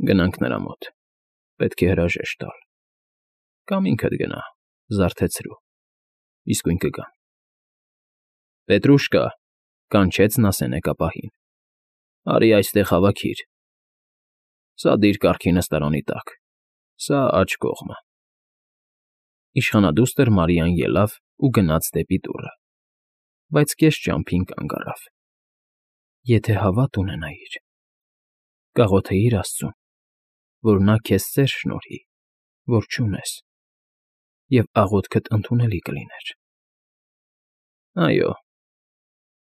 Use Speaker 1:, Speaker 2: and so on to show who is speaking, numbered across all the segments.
Speaker 1: Գնանք նրա մոտ, պետք է հրաժեշտ տալ, կամ ինքդ գնա, զարթեցրու, իսկույն կգամ։ Պետրուշկա, կանչեց նա սենեկապահին, արի այստեղ հավաքիր։ Սա դիր կառքի նստարանի տակ, սա աջ կողմը։ Իշխանադուստր Մարիան ելավ ու գնաց դեպի դուռը, բայց կես ճամփին կանգ առավ։ Եթե հավատ ունենայիր, կաղոթեիր Աստծուն, որ նա քեզ սեր շնորհի, որ չունես, և աղոթքդ ընդունելի կլիներ։ Այո,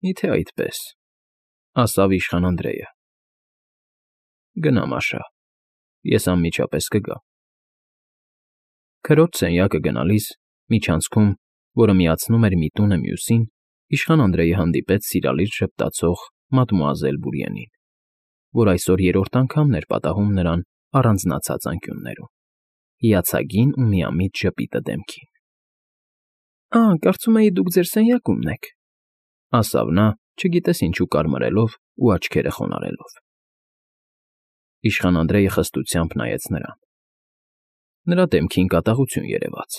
Speaker 1: միթե այդպես, ասավ իշխան Անդրեյը։ Գնա Մաշա, ես անմիջապես կգամ։ Քրոջ սենյակը գնալիս, միջանցքում, որը միացնում էր մի տունը մյուսին, իշխան Անդրեյը հանդիպեց սիրալիր ժպտացող մադմուազել Բուրիենին, որ այսօր երրորդ անգամն էր պատահում նրան առանձնացած անկյուններում, հիացագին ու միամիտ ժպիտը դեմքին։ Կարծում էի դուք ձեր սենյակումն եք, ասավ նա, չգիտես ինչու կարմրելով ու աչքերը խոնարհելով։ Իշխան Անդրեյը խստությամբ նայեց նրան։ Նրա դեմքին կատաղություն երևաց։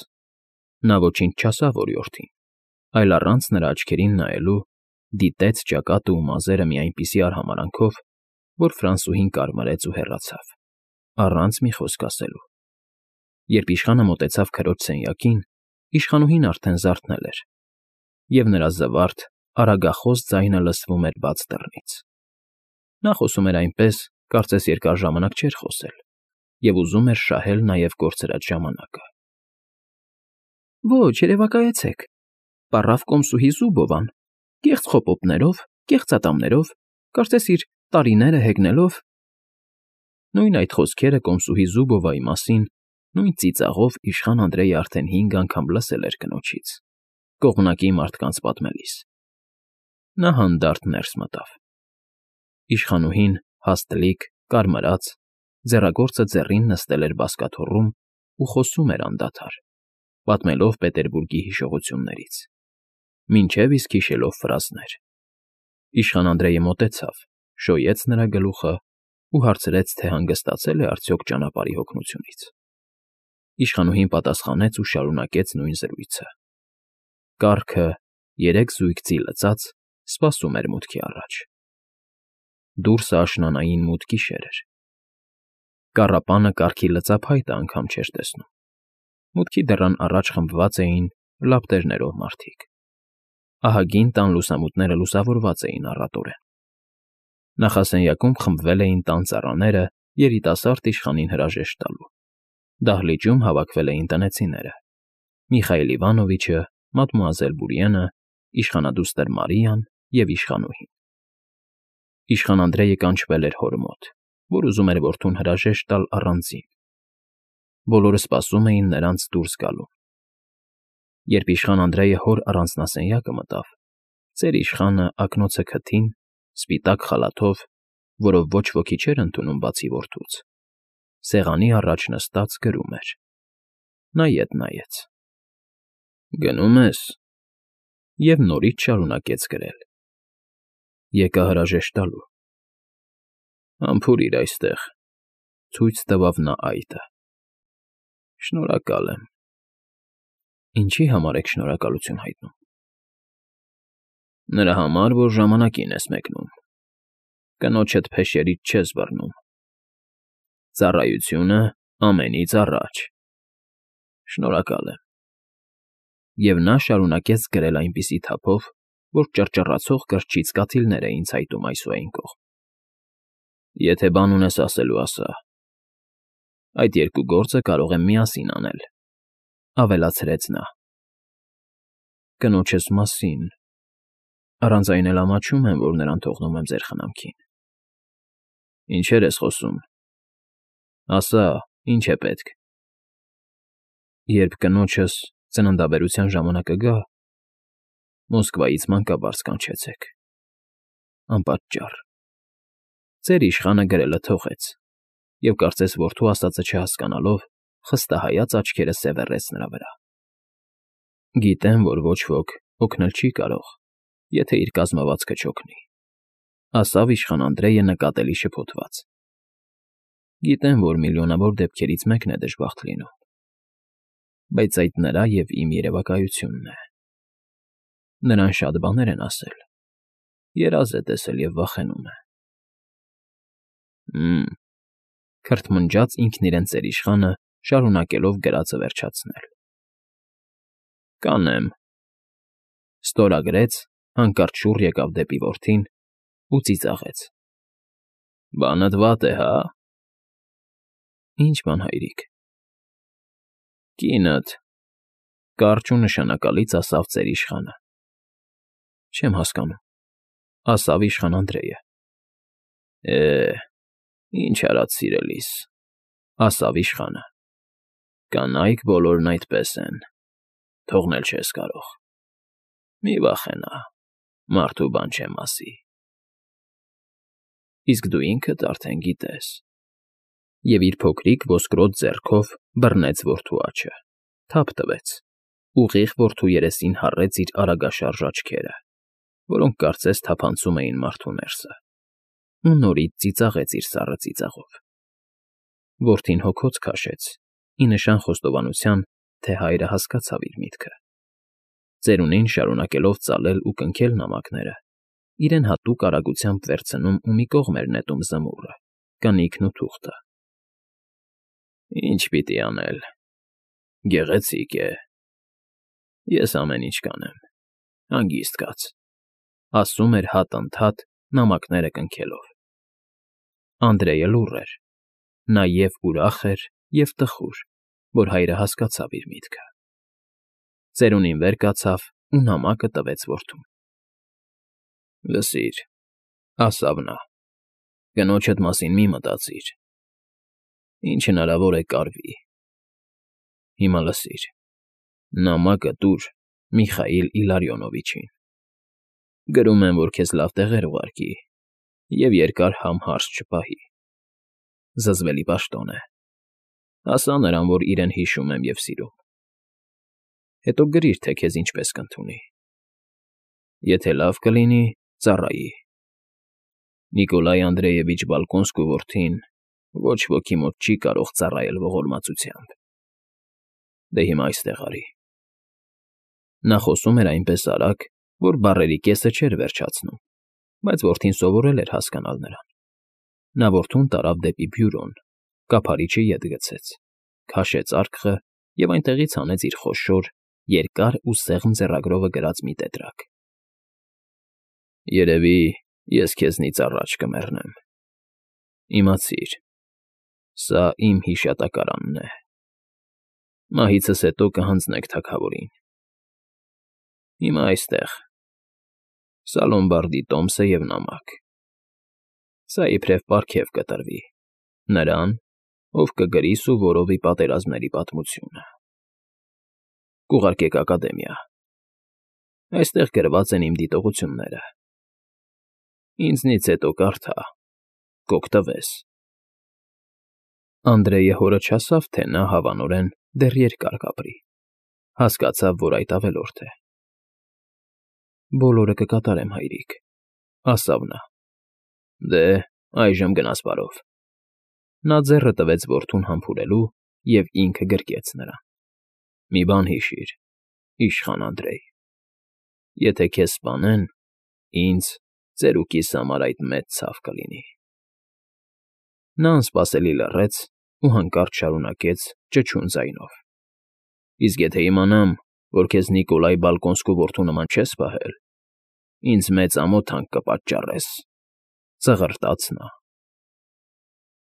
Speaker 1: Նա ոչինչ չասավ օրիորդին, այլ առանց նրա աչքերին նայելու դիտեց ճակատը ու մազերը մի այնպիսի արհամարանքով, որ Ֆրանսուհին կարմրեց ու հեռացավ, առանց մի խոսք ասելու։ Երբ իշխանը մոտեցավ քրոջ սենյակին, իշխանուհին արդեն զարթնել էր, և նրա զվարթ, արագախոս ձայնը լսվում էր բաց դռնից։ Նա խոսում էր այնպես, կարծես երկար ժամանակ չէր խոսել, և ուզում էր շահել նաև կորցրած ժամանակը։ Ոչ, երևակայեցեք, պառավ կոմսուհի Զուբովան, կեղծ խոպոպներով, կեղծատամներով, կարծես իր տարիները հեգնելով։ Նույն այդ խոսքերը կոմսուհի Զուբովայի մասին նույն ծիծաղով իշխան Անդրեյը արդեն 5 անգամ լսել էր կնոջից, կողմնակի մարդկանց պատմելիս։ Նա հանդարտ ներս մտավ։ Իշխանուհին, հաստլիկ, կարմրած, ձեռագործը ձեռին նստել էր բազկաթոռում ու խոսում էր անդադար, պատմելով Պետերբուրգի հիշողություններից, մինչև իսկ հիշելով ֆրազներ։ Իշխան Անդրեյը մոտեցավ, շոյեց նրա գլուխը ու հարցրեց, թե հանգստացել է արդյոք ճանապարհի հոգնությունից։ Իշխանուհին պատասխանեց ու շարունակեց նույն զրույցը։ Կառքը, 3 զույգ ձի լցած, սպասում էր մուտքի առաջ։ Դուրսը աշնանային մութ գիշեր էր։ Կառապանը կառքի լծափայտը անգամ չէր տեսնում։ Մուտքի դռան առաջ խմբված էին լապտերներով մարդիկ։ Ահագին տան լուսամուտները լուսավորված էին առատորեն։ Նախասենյակում խմբվել էին տան ծառաները երիտասարդ իշխանին հրաժեշտ տալու։ Դահլիճում հավաքվել էին տնեցիները՝ Միխայել Իվանովիչը, մադմուազել Բուրիենը, իշխանադուստր Մարիան և իշխանուհին։ Իշխան Անդրեյը կանչվել էր հոր մոտ, որ ուզում էր որդուն հրաժեշտ տալ առանձին։ Բոլորը սպասում էին նրանց դուրս գալուն։ Երբ իշխան Անդրեյը հոր առանձնասենյակը մտավ, ծեր իշխանը ակնոցը քթին, սպիտակ խալաթով, որով ոչ ոքի չէր ընդունում բացի որդուց, սեղանի առաջ նստած գրում էր։ Նա ետ նայեց։ Գնում ես, և նորից շարունակեց գրել։ Եկա հրաժեշտ տալու։ Համբուրիր այստեղ, ցույց տվավ նա այտը։ Շնորհակալ եմ։ Ինչի համար եք շնորհակալություն հայտնում։ Նրա համար, որ ժամանակին ես մեկնում, կնոջդ փեշերից չես բռնում։ Ծառայությունը ամենից առաջ։ Շնորհակալ եմ։ Եվ նա շարունակեց գրել այնպիսի թափով, որ ճռճռացող կրճից կաթիլներ էին ցայտում այս ու այն կողմ։ Եթե բան ունես ասելու, ասա։ Այդ երկու գործը կարող եմ միասին անել, ավելացրեց նա։ Կնոջս մասին… Առանց այն էլ ամաչում եմ, որ նրան թողնում եմ ձեր խնամքին։ Ինչեր ես խոսում։ Ասա, ինչ է պետք։ Երբ կնոջս ծննդաբերության ժամանակը գա, Մոսկվայից մանկաբարձ կանչեցեք։ Անպատճառ։ Ծեր իշխանը գրելը թողեց, և կարծես որդու ասածը չհասկանալով, խստահայաց աչքերը սևեռեց նրա վրա։ Գիտեմ, որ ոչ ոք օգնել չի կարող, եթե իր կազմվածքը չօգնի, ասավ իշխան Անդրեյը նկատելի շփոթված։ Գիտեմ, որ միլիոնավոր դեպքերից մեկն է դժբախտ լինում, բայց այդ նրա և իմ երևակայությունն է։ Նրան շատ բաներ են ասել, երազ է տեսել և վախենում է։ Քրթմնջաց ինքն իրեն ծերիշխանը, շարունակելով գրածը վերջացնել։ Կանեմ, ստորագրեց, հանկարծ շուռ եկավ դեպի որդին ու ծիծաղեց։ Բանդ վատ է, հա։ Ինչ բան, հայրիկ։ Կինդ, կարճ ու նշանակալից ասավ ծերիշխանը։ Չեմ հասկանում, ասավ իշխան Անդրեյը։ Ինչ արած սիրելիս, ասավ իշխանը։ Կանայք բոլորն այդպես են, թողնել չես կարող։ Մի վախենա, մարդու բան չեմ ասի։ Իսկ դու ինքդ արդեն գիտես։ Եվ իր փոքրիկ ոսկրոտ ձեռքով բռնեց որդու աջը, թափ տվեց, ուղիղ որդու երեսին հառեց իր արագաշարժ աչքերը, որոնք կարծես թափանցում էին մարդու ներսը, ու նորից ծիծաղեց իր սառը ծիծաղով։ Որդին հոգոց քաշեց, ի նշան խոստովանության, թե հայրը հասկացավ իր միտքը։ Ծերունին շարունակելով ծալել ու կնքել նամակները, իրեն հատուկ արագությամբ վերցնում ու մի կողմ էր նետում զմուռը, կնիկն ու թուղթը։ Ինչ պիտի անել։ Գեղեցիկ է։ Ես ամեն ինչ կանեմ, հանգիստ կաց, ասում էր հատ-ընդհատ նամակները կնքելով։ Անդրեյը լուռ էր, նա և ուրախ էր, և տխուր, որ հայրը հասկացավ իր միտքը։ Ծերունին վեր կացավ ու նամակը տվեց որդուն։ Լսիր, ասավ նա, կնոջդ մասին մի մտածիր, ինչ հնարավոր է կարվի։ Հիմա լսիր, նամակը տուր Միխայիլ Իլարյոնովիչին։ Գրում եմ, որ քեզ լավ տեղեր ուղարկի և երկար հարց չպահի։ Զզվելի պաշտոն է։ Ասա նրան, որ իրեն հիշում եմ և սիրում։ Հետո գրիր, թե քեզ ինչպես կընդունի։ Եթե լավ կլինի, ծառայի։ Նիկոլայ Անդրեևիչ Բալկոնսկու որդին ոչ ոքի մոտ չի կարող ծառայել ողորմածությամբ։ Դե հիմա այստեղ արի։ Նա խոսում էր այնպես արագ, որ բառերի կեսը չէր վերջացնում, բայց որդին սովորել էր հասկանալ նրան։ Նա որդուն տարավ դեպի բյուրոն, կափարիչը ետ գցեց, քաշեց արկղը և այնտեղից հանեց իր խոշոր, երկար ու սեղմ ձեռագրովը գրած մի տետրակ։ Երևի ես քեզնից առաջ կմեռնեմ։ Իմացիր, սա իմ հիշատակարանն է։ Մահիցս հետո կհանձնեք թագավորին։ Հիմա այստեղ։ Սա Լոմբարդի տոմսը և նամակ։ Սա իբրև պարգև կտրվի նրան, ով կգրի Սուվորովի պատերազմների պատմությունը։ Կուղարկեք ակադեմիա։ Այստեղ գրված են իմ դիտողությունները։ Ինձնից հետո կարդա, կօգտվես։ Անդրեյը հորը չասավ, թե նա հավանորեն դեռ երկար կապրի։ Հասկացավ, որ այդ ավելորդ է։ Բոլորը կկատարեմ, հայրիկ, ասավ նա։ Դե, այժմ գնաս բարով։ Նա ձեռը տվեց որդուն համբուրելու և ինքը գրկեց նրան։ Մի բան հիշիր, իշխան Անդրեյ, եթե քեզ սպանեն, ինձ, ծերուկիս համար այդ մեծ ցավ կլինի։ Նա անսպասելի լռեց ու հանկարծ շարունակեց ճչուն ձայնով. Իսկ եթե իմանամ, որ քեզ Նիկոլայ Բալկոնսկու որդու նման չես պահել, ինձ մեծ ամոթանք կպատճառես, ծղրտաց նա։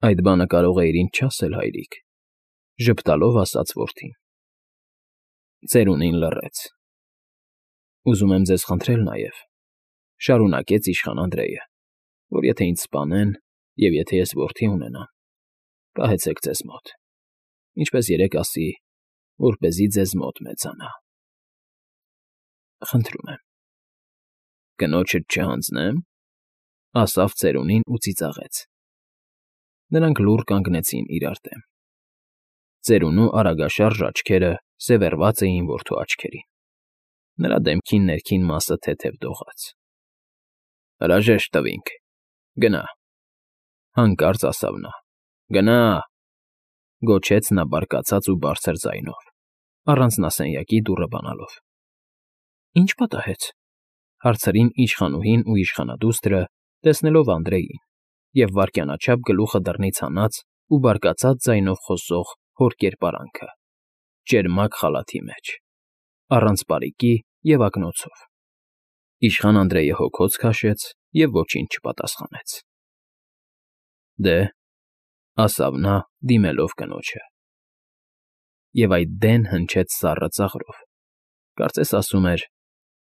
Speaker 1: Այդ բանը կարող էիր ինձ չասել, հայրիկ, ժպտալով ասաց որդին։ Ծերունին լռեց։ Ուզում եմ ձեզ խնդրել նաև, շարունակեց իշխան Անդրեյը, որ եթե ինձ սպանեն և եթե ես որդի ունենամ, պահեցեք ձեզ մոտ, ինչպես երեկ ասի, որպեսզի ձեզ մոտ մեծանա։ Խնդրում եմ։ Կնոջդ չհանձնեմ, ասավ ծերունին ու ծիծաղեց։ Նրանք լուռ կանգնեցին իրար դեմ։ Ծերունու արագաշարժ աչքերը սևեռված էին որդու աչքերին։ Նրա դեմքի ներքին մասը թեթև դողաց։ Հրաժեշտ տվինք, գնա, հանկարծ ասավ նա, Գնա,֊ գոչեց նա բարկացած ու բարձր ձայնով, առանց նասենյակի դուռը բանալով։ ֊ Ի՞նչ պատահեց,֊ հարցրին իշխանուհին ու իշխանադուստրը, տեսնելով Անդրեին, և վայրկյանաչափ գլուխը դռնից հանած ու բարկացած ձայնով խոսող հոր կերպարանքը, ճերմակ խալաթի մեջ, առանց պարիկի և ակնոցով։ Իշխան Անդրեյը հոգոց քաշեց և ոչինչ չպատասխանեց։ ֊ Դե,֊ ասավ նա, դիմելով կնոջը, և այդ դեն հնչեց սառը ծաղրով, կարծես ասում էր.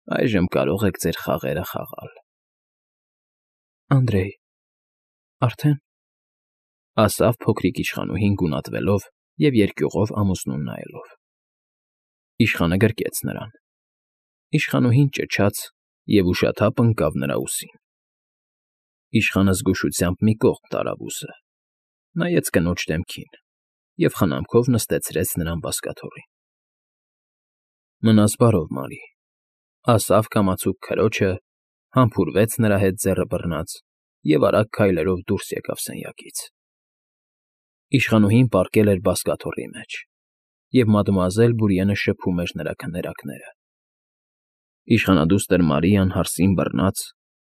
Speaker 1: «Այժմ կարող եք ձեր խաղերը խաղալ»։ ֊ Անդրեյ, արդեն,֊ ասավ փոքրիկ իշխանուհին գունատվելով և երկյուղով ամուսնուն նայելով։ Իշխանը գրկեց նրան։ Իշխանուհին ճչաց և ուշաթափ ընկավ նրա ուսին։ Իշխանը զգուշությամբ մի կողմ տարավ ուսը, նայեց կնոջ դեմքին և խնամքով նստեցրեց նրան բազկաթոռին։ ֊ Մնաս բարով, Մարի,֊ ասավ կամացուկ քրոջը, համբուրվեց նրա հետ ձեռը բռնած և արագ քայլերով դուրս եկավ սենյակից։ Իշխանուհին պառկել էր բազկաթոռի մեջ, և մադմուազել Բուրիենը շփում էր նրա քներակները։ Իշխանադուստր Մարիան հարսին բռնած,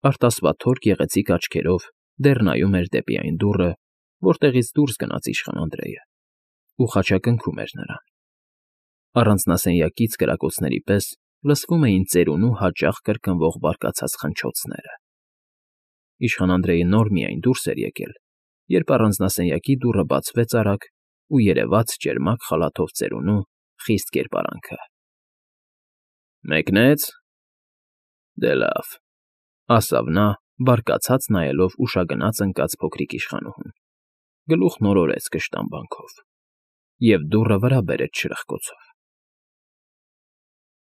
Speaker 1: արտասվաթոր գեղեցիկ աչքերով դեռ նայում էր դեպի այն դուռը, որտեղից դուրս գնաց իշխան Անդրեյը, ու խաչակնքում էր նրան։ Առանց նասենյակից կրակոցների պես լսվում էին ծերունու հաճախ կրկնվող բարկացած խնչոցները։ Իշխան Անդրեյը նոր միայն դուրս էր եկել, երբ առանձնասենյակի դուռը բացվեց արագ ու երևաց ճերմակ խալաթով ծերունու խիստ կերպարանքը։ ֊ Մեկնե՞ց։ Դե լավ,֊ ասավ նա, բարկացած նայելով ուշագնաց ընկած փոքրիկ իշխանուհուն, գլուխն օրորեց կշտամբանքով և դուռը վրա բերեց շրխկոցով։